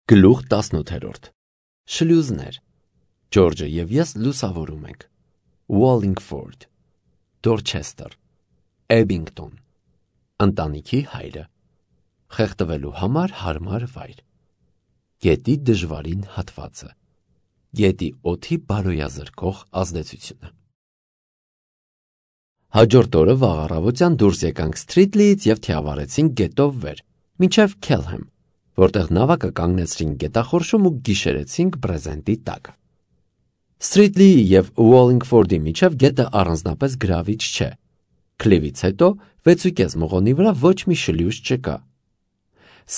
Գլուխ 18 Շլյուզներ Ջորջը և ես լուսավորում ենք Wallingford Dorchester Ebbington Ընտանիքի հայրը Խեղդվելու համար հարմար վայր Գետի դժվարին հատվածը Գետի օդի բարոյազրկող ազդեցությունը Հաջորդ օրը վաղ առավոտյան դուրս եկանք Սթրիթլիից և թիավարեցինք գետով վեր մինչև Քելհեմ, որտեղ նավակը կանգնեցրինք գետախորշում ու գիշերեցինք բրեզենտի տակ։ Սթրիթլիի և Wallingford-ի միջև գետը առանձնապես գրավիչ չէ։ Քլիվից հետո 6.5 մղոնի վրա ոչ մի շլյուզ չկա։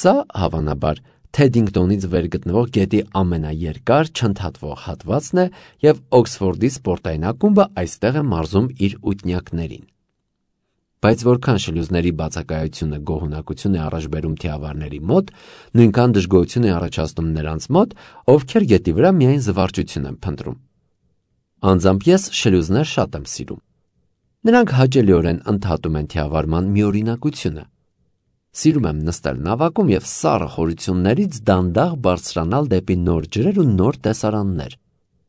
Սա, հավանաբար, Թեդինգտոնից վեր գտնվող գետի ամենաերկար չընդհատվող հատվածն է և Օքսֆորդի սպորտային ակումբը այստեղ է մարզում իր ութնյակներին։ Բայց որքան շլյուզների բացակայությունը գոհունակություն է առաջ բերում թիավարների մոտ, նույնքան դժգոհություն է առաջացնում նրանց մոտ, ովքեր գետի վրա միայն զվարճություն են փնտրում։ Անձամբ ես շլյուզներ շատ եմ սիրում։ Նրանք հաճելիորեն ընդհատում են թիավարման միօրինակությունը։ Սիրում եմ նստել նավակում և սառը խորություններից դանդաղ բարձրանալ դեպի նոր ջրեր ու նոր տեսարաններ,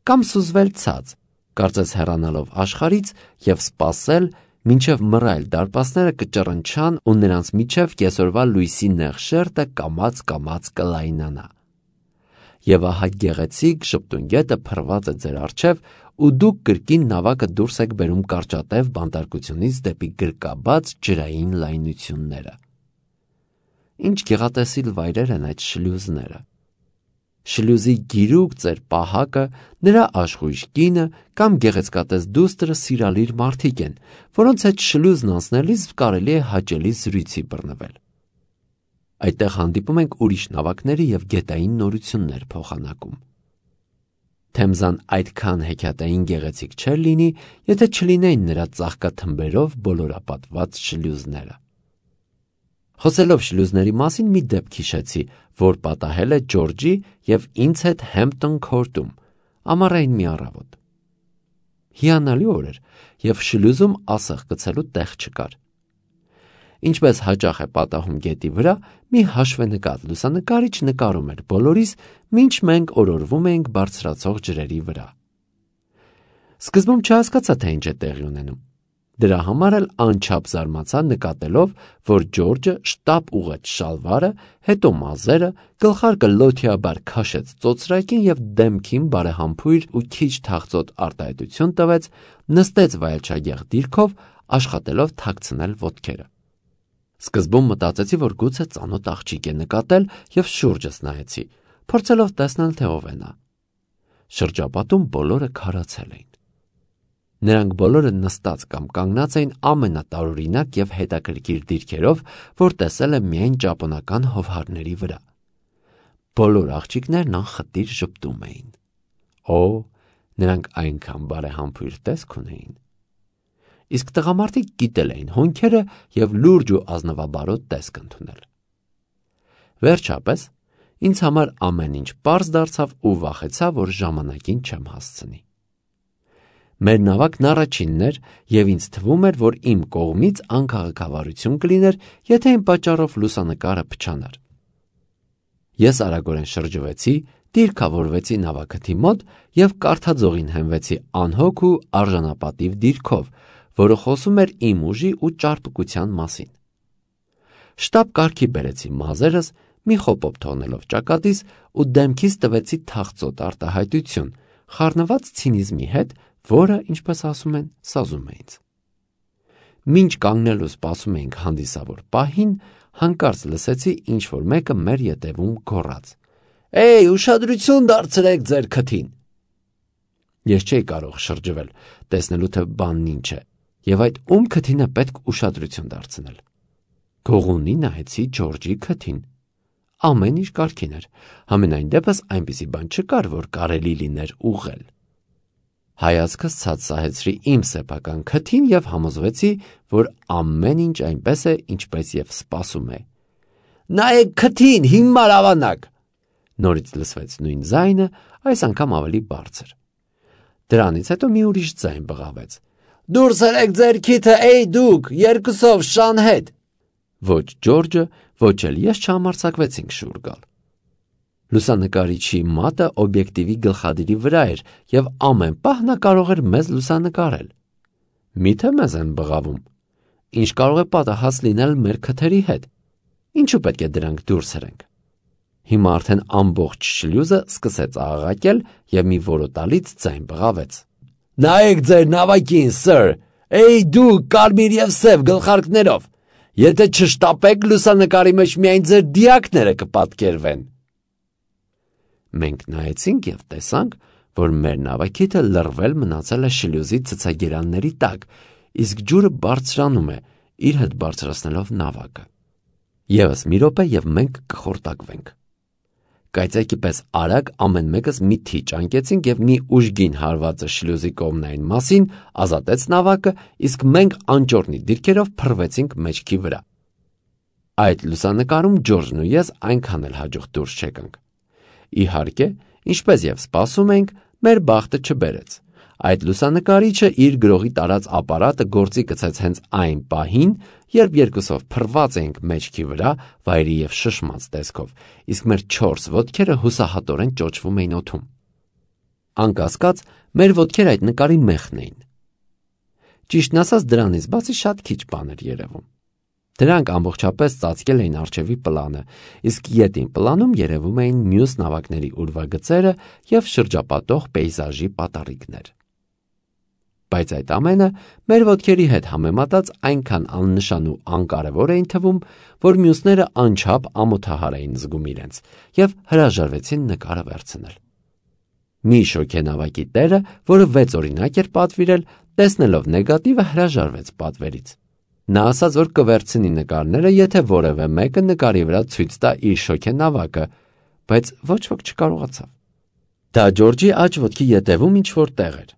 կամ սուզվել ցած, կարծես հեռանալով աշխարհից և սպասել, մինչև մռայլ դարպասները կճռնչան ու նրանց միջև կեսօրվա լույսի նեղ շերտը կամաց կլայնանա։ Եվ ահա գեղեցիկ շպտուն գետը փռված է ձեր առջև, ու դուք կրկին նավակը դուրս եք բերում կարճատև բանտարկությունից դեպի գրկաբաց ջրային լայնությունները։ Ինչ գեղատեսիլ վայրեր են այդ շլյուզները։ Շլյուզի գիրուկ ծեր պահակը, նրա աշխույժ կինը կամ գեղեցկատես դուստրը սիրալիր մարդիկ են, որոնց հետ շլյուզն անցնելիս կարելի է հաճելի զրույցի բռնվել։ Այդտեղ հանդիպում ենք ուրիշ նավակների և գետային նորություններ փոխանակում։ Թեմզան այդքան հեքիաթային գեղեցիկ չէր լինի, եթե չլինեին նրա ծաղկաթմբերով բոլորապատված շլյուզները։ Խոսելով շլյուզների մասին մի դեպք հիշեցի, որ պատահել է Ջորջի և ինձ հետ Հեմպտոն Քորտում, ամառային մի առավոտ։ Հիանալի օր էր, և շլյուզում ասեղ գցելու տեղ չկար։ Ինչպես հաճախ է պատահում գետի վրա, մի հաշվենկատ լուսանկարիչ նկարում էր բոլորիս, մինչ մենք օրորվում էինք բարձրացող ջրերի վրա։ Սկզբում չհասկացա, թե ինչ է տեղի ունենում։ Դրա համար էլ անչափ զարմացա նկատելով, որ Ջորջը շտապ ուղղեց շալվարը, հետո մազերը, գլխարկը լոթիաբար քաշեց ծոծրակին և դեմքին բարեհամբույր ու քիչ թախծոտ արտահայտություն տվեց, նստեց վայելչագեղ դիրքով, աշխատելով թաքցնել ոտքերը։ Սկզբում մտածեցի, որ գուցե ծանոթ աղջիկ է նկատել և շուրջս նայեցի, փորձելով տեսնել, թե ով է նա։ Շրջապատում բոլորը քարացել էին։ Նրանք բոլորը նստած կամ կանգնած էին ամենատարօրինակ և հետաքրքիր դիրքերով, որ տեսել եմ միայն ճապոնական հովհարների վրա։ Բոլոր աղջիկներն անխտիր ժպտում էին։ Օ, նրանք այնքան բարեհամբույր տեսք ունեին։ Իսկ տղամարդիկ գիտել էին հոնքերը և լուրջ ու ազնվաբարոտ տեսք ընդունել։ Վերջապես, ինձ համար ամեն ինչ պարզ դարձավ ու վախեցա, որ ժամանակին չեմ հասցնի։ Մեր նավակն առաջինն էր, և ինձ թվում էր, որ իմ կողմից անքաղաքավարություն կլիներ, եթե իմ պատճառով լուսանկարը փչանար։ Ես արագորեն շրջվեցի, դիրքավորվեցի նավակթի մոտ և կարդաձողին հենվեցի անհոգ ու արժանապատիվ դիրքով, որը խոսում էր իմ ուժի ու ճարպկության մասին։ Շտապ կարգի բերեցի մազերս, մի խոպոպ թողնելով ճակատիս ու դեմքիս տվեցի թախծոտ արտահայտություն, խառնված ցինիզմի հետ, որը, ինչպես ասում են, սազում է ինձ։ Մինչ կանգնելու սպասում էինք հանդիսավոր պահին, հանկարծ լսեցի ինչ-որ մեկը մեր ետևում գոռաց. «Էյ, ուշադրություն դարձրեք ձեր քթին»։ Ես չէի կարող շրջվել, տեսնելու թե բանն ինչ է, և այդ ում քթին է պետք ուշադրություն դարձնել։ Գողունի նայեցի Ջորջի քթին։ Ամեն ինչ կարգին էր, համենայն դեպս այնպիսի բան չկար, որ կարելի լիներ ուղղել։ Հայացքս ցած սահեցրի իմ սեփական քթին և համոզվեցի, որ ամեն ինչ այնպես է, ինչպես և սպասում է։ «Նայեք քթին, հիմար ավանակ»։ Նորից լսվեց նույն ձայնը, այս անգամ ավելի բարձր։ Դրանից հետո մի ուրիշ ձայն բղավեց. «Դուրս ելեք ձեր քիթը, էй դուք, երկուսով շան հետ»։ Ոչ Ջորջը, ոչ էլ ես չհամարձակվեցինք շուռ գալ։ Լուսանկարիչի մատը օբյեկտիվի գլխադիրի վրա էր և ամեն պահ նա կարող էր մեզ լուսանկարել։ Միթե մեզ են բղավում։ Ինչ կարող է պատահած լինել մեր քթերի հետ։ Ինչու պետք է դրանք դուրս հրենք։ Հիմա արդեն ամբողջ շլյուզը սկսեց աղաղակել և մի որոտալից ձայն բղավեց. «Նայեք ձեր նավակին, սըր, էй դու կարմիր և սև գլխարկներով, եթե չշտապեք, լուսանկարի մեջ միայն ձեր դիակները կպատկերվեն»։ Մենք նայեցինք և տեսանք, որ մեր նավակիթը լռվել մնացել է շլյուզի ցցագերանների տակ, իսկ ջուրը բարձրանում է, իր հետ բարձրացնելով նավակը։ Եվս մի րոպե և մենք կխորտակվենք։ Կայծակի պես արագ ամեն մեկս մի թիչ անկեցինք և մի ուժգին հարվածը շլյուզի կողմնային մասին ազատեց նավակը, իսկ մենք անճոռնի դիրքերով փռվեցինք մեջքի վրա։ Այդ լուսանկարում Ջորջն ու ես այնքան էլ հաջող դուրս չեկանք։ Իհարկե, ինչպես և սպասում էինք, մեր բախտը չբերեց։ Այդ լուսանկարիչը իր գրողի տարած ապարատը գործի գցեց հենց այն պահին, երբ երկուսով փռված էինք մեջքի վրա, վայրի և շշմած տեսքով, իսկ մեր 4 ոտքերը հուսահատորեն ճոճվում էին օդում։ Անկասկած, մեր ոտքերը այդ նկարի մեխն էին։ Ճիշտն ասած, դրանից բացի շատ քիչ բան էր երևում։ Դրանք ամբողջապես ծածկել էին առջևի պլանը, իսկ ետին պլանում երևում էին մյուս նավակների ուրվագծերը և շրջապատող պեյզաժի պատառիկներ։ Բայց այդ ամենը մեր ոտքերի հետ համեմատած այնքան աննշան ու անկարևոր էին թվում, որ մյուսները անչափ ամոթահար էին զգում իրենց և հրաժարվեցին նկարը վերցնել։ Մի շոգենավակի տերը, որը 6 օրինակ էր պատվիրել, տեսնելով նեգատիվը հրաժարվեց պատվերից։ Նա ասաց, որ կվերցնի նկարները, եթե որևէ մեկը նկարի վրա ցույց տա իր շոգենավակը, բայց ոչ ոք չկարողացավ։ Դա Ջորջի աջ ոտքի ետևում ինչ-որ տեղ էր։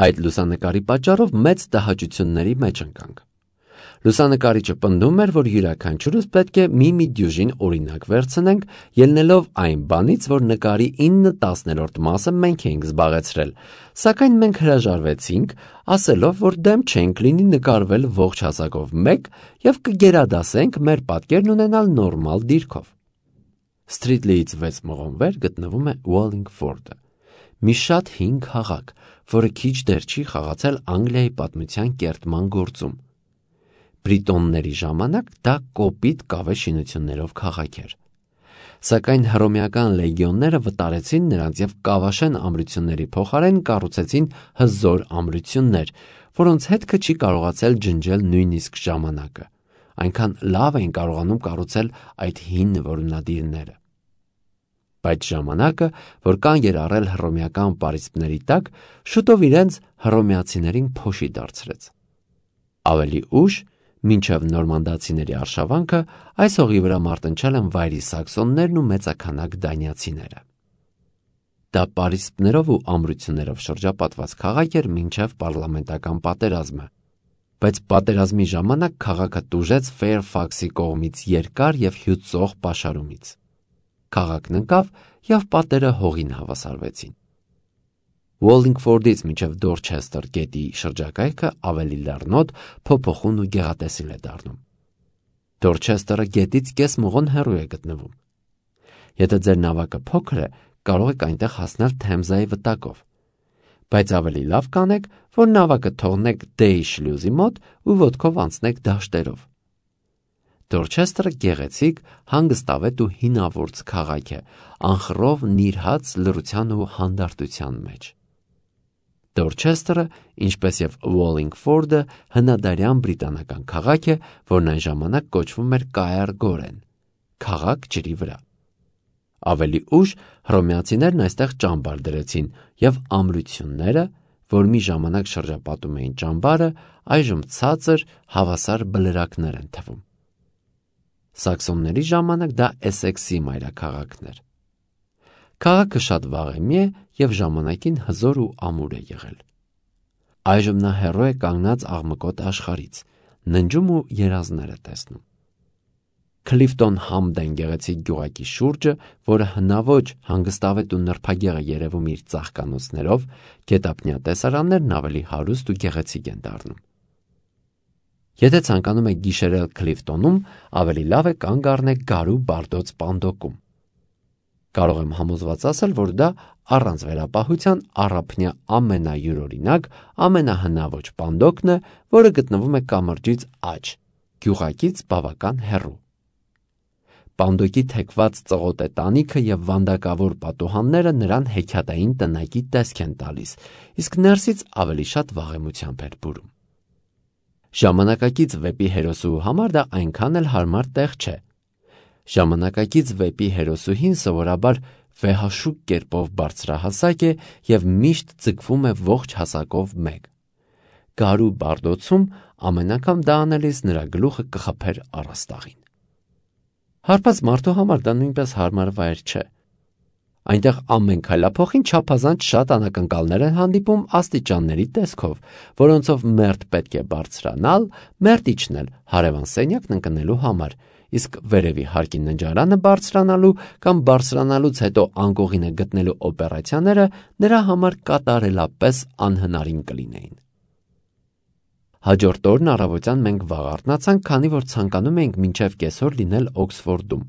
Այդ լուսանկարի պատճառով մեծ տհաճությունների մեջ ընկանք։ Լուսանկարիչը պնդում էր, որ յուրաքանչյուրս պետք է մի դյուժին օրինակ վերցնենք, ելնելով այն բանից, որ նկարի 9/10 մասը մենք էինք զբաղեցրել, սակայն մենք հրաժարվեցինք, ասելով, որ դեմ չենք լինի նկարվել ողջ հասակով մեկ և կգերադասենք մեր պատկերն ունենալ նորմալ դիրքով։ Սթրիթլիից 6 մղոն վեր գտնվում է Ուոլինգֆորդը, մի շատ հին քաղաք, որը քիչ դեռ չի խաղացել Անգլիայի պատմության կերտման գործում։ Բրիտոնների ժամանակ դա կոպիտ կավե շինություններով քաղաք էր։ Սակայն հռոմեական լեգիոնները վտարեցին նրանց և կավաշեն ամրությունների փոխարեն կառուցեցին հզոր ամրություններ, որոնց հետքը չի կարողացել ջնջել նույնիսկ ժամանակը։ Այնքան լավ էին կարողանում կառուցել այդ հին որոնադիրները։ Բայց ժամանակը, որ կանգ էր առել հռոմեական պարիսպների տակ, շուտով իրենց հռոմեացիներին փոշի դարձրեց։ Ավելի ուշ, մինչև նորմանդացիների արշավանքը, այս հողի վրա մարտնչել են վայրի սաքսոններն ու մեծաքանակ դանիացիները։ Դա պարիսպներով ու ամրություններով շրջապատված քաղաք էր մինչև պարլամենտական պատերազմը, բայց պատերազմի ժամանակ քաղաքը տուժեց Ֆեյրֆաքսի կողմից երկար և հյուծող պաշարումից։ Քաղաքն ընկավ և պատերը հողին հավասարվեցին։ Ուոլինգֆորդից մինչև Դորչեսթեր գետի շրջակայքը ավելի լեռնոտ, փոփոխուն ու գեղատեսիլ է դառնում։ Դորչեսթերը գետից կես մղոն հեռու է գտնվում։ Եթե ձեր նավակը փոքր է, կարող եք այնտեղ հասնել Թեմզայի վտակով, բայց ավելի լավ կանեք, որ նավակը թողնեք Դեյ շլյուզի մոտ ու ոտքով անցնեք դաշտերով։ Դորչեսթերը գեղեցիկ, հանգստավետ ու հինավուրց քաղաք է, անխռով նիրհած լռության ու հանդարտության մեջ։ Դորչեսթերը, ինչպես և Ուոլինգֆորդը, հնադարյան բրիտանական քաղաք է, որն այն ժամանակ կոչվում էր Կայար Գորեն, քաղաք ջրի վրա։ Ավելի ուշ հռոմեացիներն այստեղ ճամբար դրեցին, և ամրությունները, որ մի ժամանակ շրջապատում էին ճամբարը, այժմ ցածր, հավասար բլրակներ են թվում։ Սաքսոնների ժամանակ դա Էսեքսի մայրաքաղաքն էր։ Քաղաքը շատ վաղեմի է և ժամանակին հզոր ու ամուր է եղել։ Այժմ նա հեռու է կանգնած աղմկոտ աշխարհից, ննջում ու երազներ է տեսնում։ Քլիֆտոն Համդեն գեղեցիկ գյուղակի շուրջը, որը հնաոճ, հանգստավետ ու նրբագեղ է երևում իր ծաղկանոցներով, գետափնյա տեսարաններն ավելի հարուստ ու գեղեցիկ են դառնում։ Եթե ցանկանում եք գիշերել Քլիֆտոնում, ավելի լավ է կանգ առնեք Գարու Բարդոց պանդոկում։ Կարող եմ համոզված ասել, որ դա առանց վերապահության առափնյա ամենայուրօրինակ, ամենահնաոճ պանդոկն է, որը գտնվում է կամրջից աջ, գյուղակից բավական հեռու։ Պանդոկի թեքված ծղոտե տանիքը եւ վանդակավոր պատուհանները նրան հեքիաթային տնակի տեսք են տալիս, իսկ ներսից ավելի շատ վաղեմությամբ էր բուրում։ Ժամանակակից վեպի հերոսուհու համար դա այնքան էլ հարմար տեղ չէ։ Ժամանակակից վեպի հերոսուհին սովորաբար վեհաշուկ կերպով բարձրահասակ է եւ միշտ ձգվում է ողջ հասակով մեկ։ Գարու բարդոցում ամեն անգամ դա անելիս նրա գլուխը կխփեր առաստաղին։ Հարբած մարդու համար դա նույնպես հարմար վայր չէ։ Այնտեղ ամեն քայլափոխին չափազանց շատ անակնկալներ են հանդիպում աստիճանների տեսքով, որոնցով մերթ պետք է բարձրանալ, մերթ իջնել հարևան սենյակն ընկնելու համար, իսկ վերևի հարկի ննջարանը բարձրանալու կամ բարձրանալուց հետո անկողինը գտնելու օպերացիաները նրա համար կատարելապես անհնարին կլինեին։ Հաջորդ օրն առավոտյան մենք վաղ արթնացանք, քանի որ ցանկանում էինք մինչև կեսօր լինել Օքսֆորդում։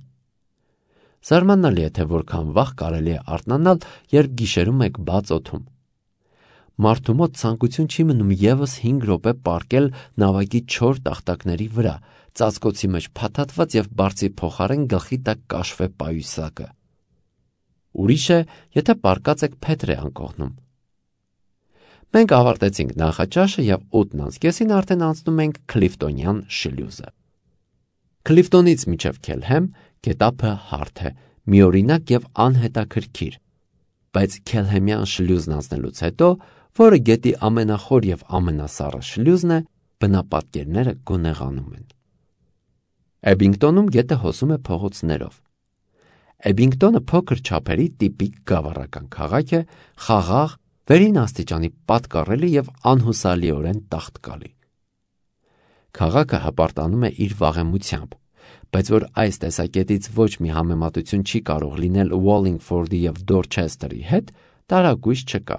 Զարմանալի է, թե որքան վաղ կարելի է արթնանալ, երբ գիշերում եք բաց օդում։ Մարդու մոտ ցանկություն չի մնում եւս 5 րոպե պառկել նավակի չոր տախտակների վրա, ծածկոցի մեջ փաթաթված եւ բարձի փոխարեն գլխի տակ կաշվե պայուսակը։ Ուրիշ է, եթե պառկած եք Փետրե անկողնում։ Մենք ավարտեցինք նախաճաշը եւ 8:30-ին արդեն անցնում ենք Քլիֆտոնյան շլյուզը։ Քլիֆտոնից մինչև Քելհեմ գետափը հարթ է, միօրինակ եւ անհետաքրքիր, բայց Քելհեմյան շլյուզն անցնելուց հետո, որը գետի ամենախոր եւ ամենասառը շլյուզն է, բնապատկերները գունեղանում են։ Էբինգտոնում գետը հոսում է փողոցներով։ Էբինգտոնը փոքր չափերի տիպիկ գավառական քաղաք է, խաղաղ, վերին աստիճանի պատկառելի եւ անհուսալիորեն տաղտկալի։ Քաղաքը հպարտանում է իր վաղեմությամբ, բայց որ այս տեսակետից ոչ մի համեմատություն չի կարող լինել Ուոլինգֆորդի եւ Դորչեսթերի հետ, տարակույս չկա։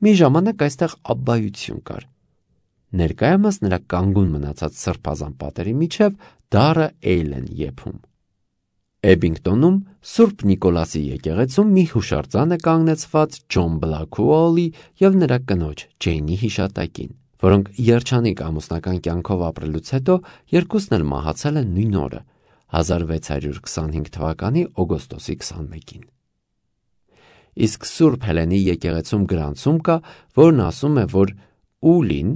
Մի ժամանակ այստեղ աբբայություն կար։ Ներկայումս նրա կանգուն մնացած սրբազան պատերի միջև դառը էյլ են եփում։ Էբինգտոնում Սուրբ Նիկոլասի եկեղեցում մի հուշարձան է կանգնեցված Ջոն Բլաքուոլի եւ նրա կնոջ Ջեյնի հիշատակին, որոնք երջանիկ ամուսնական կյանքով ապրելուց հետո երկուսն էլ մահացել են նույն օրը 1625 թվականի օգոստոսի 21-ին։ Իսկ Սուրբ Հելենի եկեղեցում գրանցում կա, որն ասում է, որ Ուլին,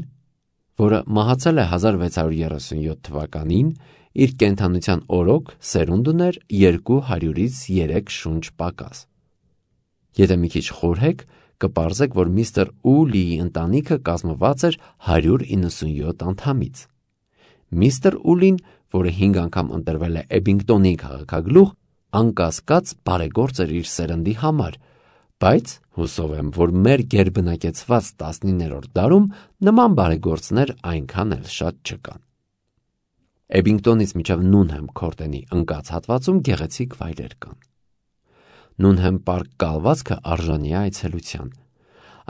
որը մահացել է 1637 թվականին, իր կենդանության օրոք սերունդ ուներ 200-ից 3 շունչ պակաս։ Եթե մի քիչ խորհեք, կպարզեք, որ միստր Ուլիի ընտանիքը կազմված էր 197 անդամից։ Միստր Ուլին, որը 5 անգամ ընտրվել է Էբինգտոնի քաղաքագլուխ, անկասկած բարեգործ էր իր սերնդի համար, բայց հուսով եմ, որ մեր գերբնակեցված 19-րդ դարում նման բարեգործներ այնքան էլ շատ չկան։ Էբինգտոնից մինչև Նունհեմ քորտենի ընկած հատվածում գեղեցիկ վայրեր կան։ Նունհեմ պարկ կալվածքը արժանի է այցելության։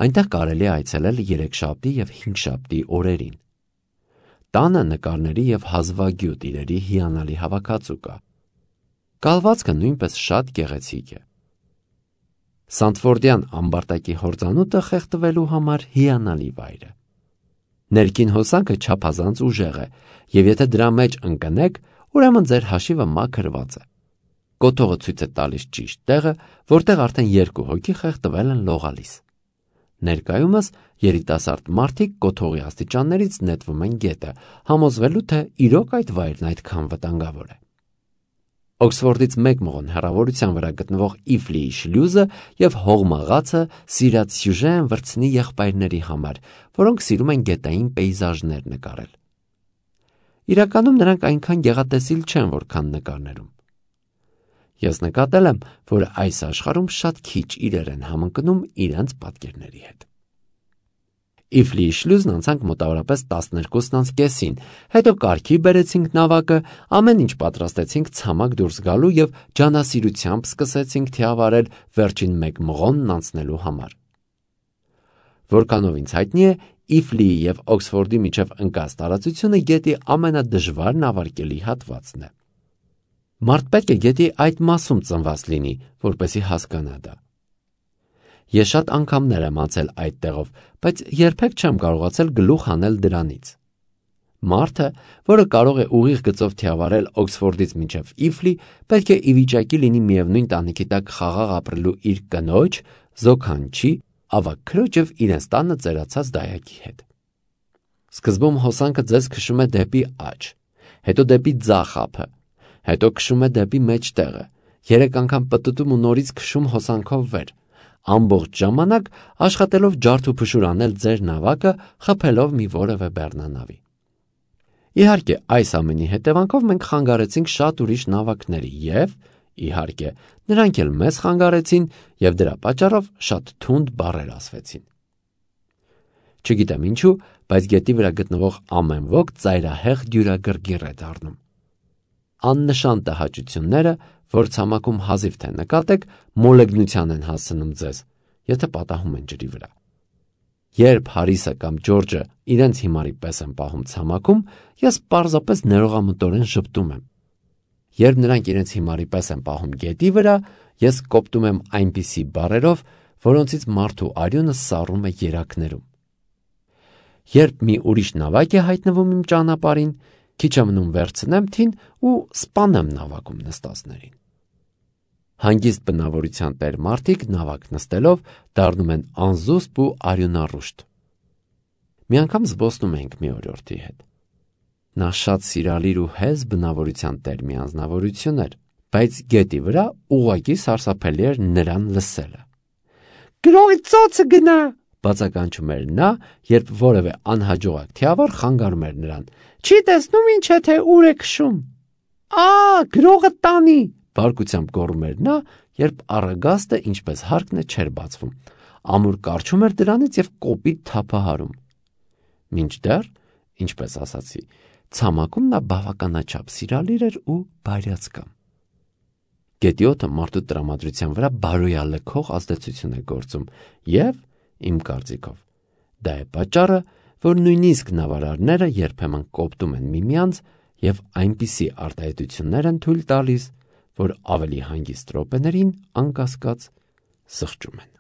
Այնտեղ կարելի է այցելել երեքշաբթի եւ հինգշաբթի օրերին։ Տանը նկարների եւ հազվագյուտ իրերի հիանալի հավաքածու կա։ Կալվածքը նույնպես շատ գեղեցիկ է։ Սանտֆորդյան ամբարտակի հորձանուտը խեղդվելու համար հիանալի վայր է։ Ներքին հոսանքը չափազանց ուժեղ է, եւ եթե դրա մեջ ընկնեք, ուրեմն ձեր հաշիվը մաքրված է։ Կոթողը ցույց է տալիս ճիշտ տեղը, որտեղ արդեն 2 հոգի խեղդվել են լողալիս։ Ներկայումս երիտասարդ մարդիկ կոթողի աստիճաններից նետվում են գետը, համոզվելու թե իրոք այդ վայրն այդքան վտանգավոր է։ Օքսֆորդից 1 մղոն հեռավորության վրա գտնվող Իֆլիի շլյուզը եւ հողմաղացը սիրած սյուժե են վրձնի եղբայրների համար, որոնք սիրում են գետային պեյզաժներ նկարել։ Իրականում նրանք այնքան գեղատեսիլ չեն, որքան նկարներում։ Ես նկատել եմ, որ այս աշխարհում շատ քիչ իրեր են համընկնում իրենց պատկերների հետ։ Իֆլիի շլյուզն անցանք մոտավորապես 12:30-ին, հետո կարգի բերեցինք նավակը, ամեն ինչ պատրաստեցինք ցամաք դուրս գալու եւ ջանասիրությամբ սկսեցինք թիավարել վերջին 1 մղոնն անցնելու համար։ Որքանով ինձ հայտնի է, Իֆլիի եւ Օքսֆորդի միջև ընկած տարածությունը գետի ամենադժվար նավարկելի հատվածն է։ Մարդ պետք է գետի այդ մասում ծնված լինի, որպեսզի հասկանա դա։ Ես շատ անգամներ եմ անցել այդ տեղով, բայց երբեք չեմ կարողացել գլուխ հանել դրանից։ Մարդը, որը կարող է ուղիղ գծով թիավարել Օքսֆորդից մինչև Իֆլի, պետք է ի վիճակի լինի միևնույն տանիքի տակ խաղաղ ապրելու իր կնոջ, զոքանչի, ավագ քրոջ եւ իրենց տանը ծերացած դայակի հետ։ Սկզբում հոսանքը ձեզ քշում է դեպի աջ, հետո դեպի ձախ ափը, հետո քշում է դեպի մեջտեղը, 3 անգամ պտտում ու նորից քշում հոսանքով վեր, ամբողջ ժամանակ աշխատելով ջարդ ու փշուր անել ձեր նավակը, խփելով մի որևէ բեռնանավի։ Իհարկե, այս ամենի հետևանքով մենք խանգարեցինք շատ ուրիշ նավակների եւ, իհարկե, նրանք էլ մեզ խանգարեցին եւ դրա պատճառով շատ թունդ բառեր ասվեցին։ Չգիտեմ ինչու, բայց գետի վրա գտնվող ամեն ոք ծայրահեղ դյուրագրգիռ է դառնում։ Աննշան տհաճությունները, որ ցամաքում հազիվ թե նկատեք, մոլեգնության են հասցնում ձեզ, եթե պատահում են ջրի վրա։ Երբ Հարիսը կամ Ջորջը իրենց հիմարի պես են պահում ցամաքում, ես պարզապես ներողամտորեն ժպտում եմ։ Երբ նրանք իրենց հիմարի պես են պահում գետի վրա, ես կոպտում եմ այնպիսի բառերով, որոնցից մարդու արյունը սառում է երակներում։ Երբ մի ուրիշ նավակ է հայտնվում իմ ճանապարհին, քիչ է մնում վերցնեմ թին ու սպանեմ նավակում նստածներին։ Հանգիստ բնավորության տեր մարդիկ նավակ նստելով դառնում են անզուսպ ու արյունառուշտ։ Մի անգամ զբոսնում ենք մի օրիորդի հետ։ Նա շատ սիրալիր ու հեզ բնավորության տեր մի անձնավորություն էր, բայց գետի վրա ուղղակի սարսափելի էր նրան լսելը։ «Գրողի ծոցը գնա», բացականչում էր նա, երբ որևէ անհաջողակ թիավար խանգարում էր նրան։ «Չի տեսնում ինչ է, թե ուր է քշում»։ Գրողը տանի, բարկությամբ գոռում էր նա, երբ առագաստը, ինչպես հարկն է, չէր բացվում, ամուր կառչում էր դրանից եւ կոպիտ թափահարում։ Մինչդեռ, ինչպես ասացի, ցամաքում նա բավականաչափ սիրալիր էր ու բարյացկամ։ Գետի օդը մարդու տրամադրության վրա բարոյալքող ազդեցություն է գործում եւ, իմ կարծիքով, դա է պատճառը, որ նույնիսկ նավարարները երբեմն կոպտում են միմյանց եւ այնպիսի արտահայտություններ են թույլ տալիս, որ ավելի հանգիստ րոպեներին անկասկած սխճում են։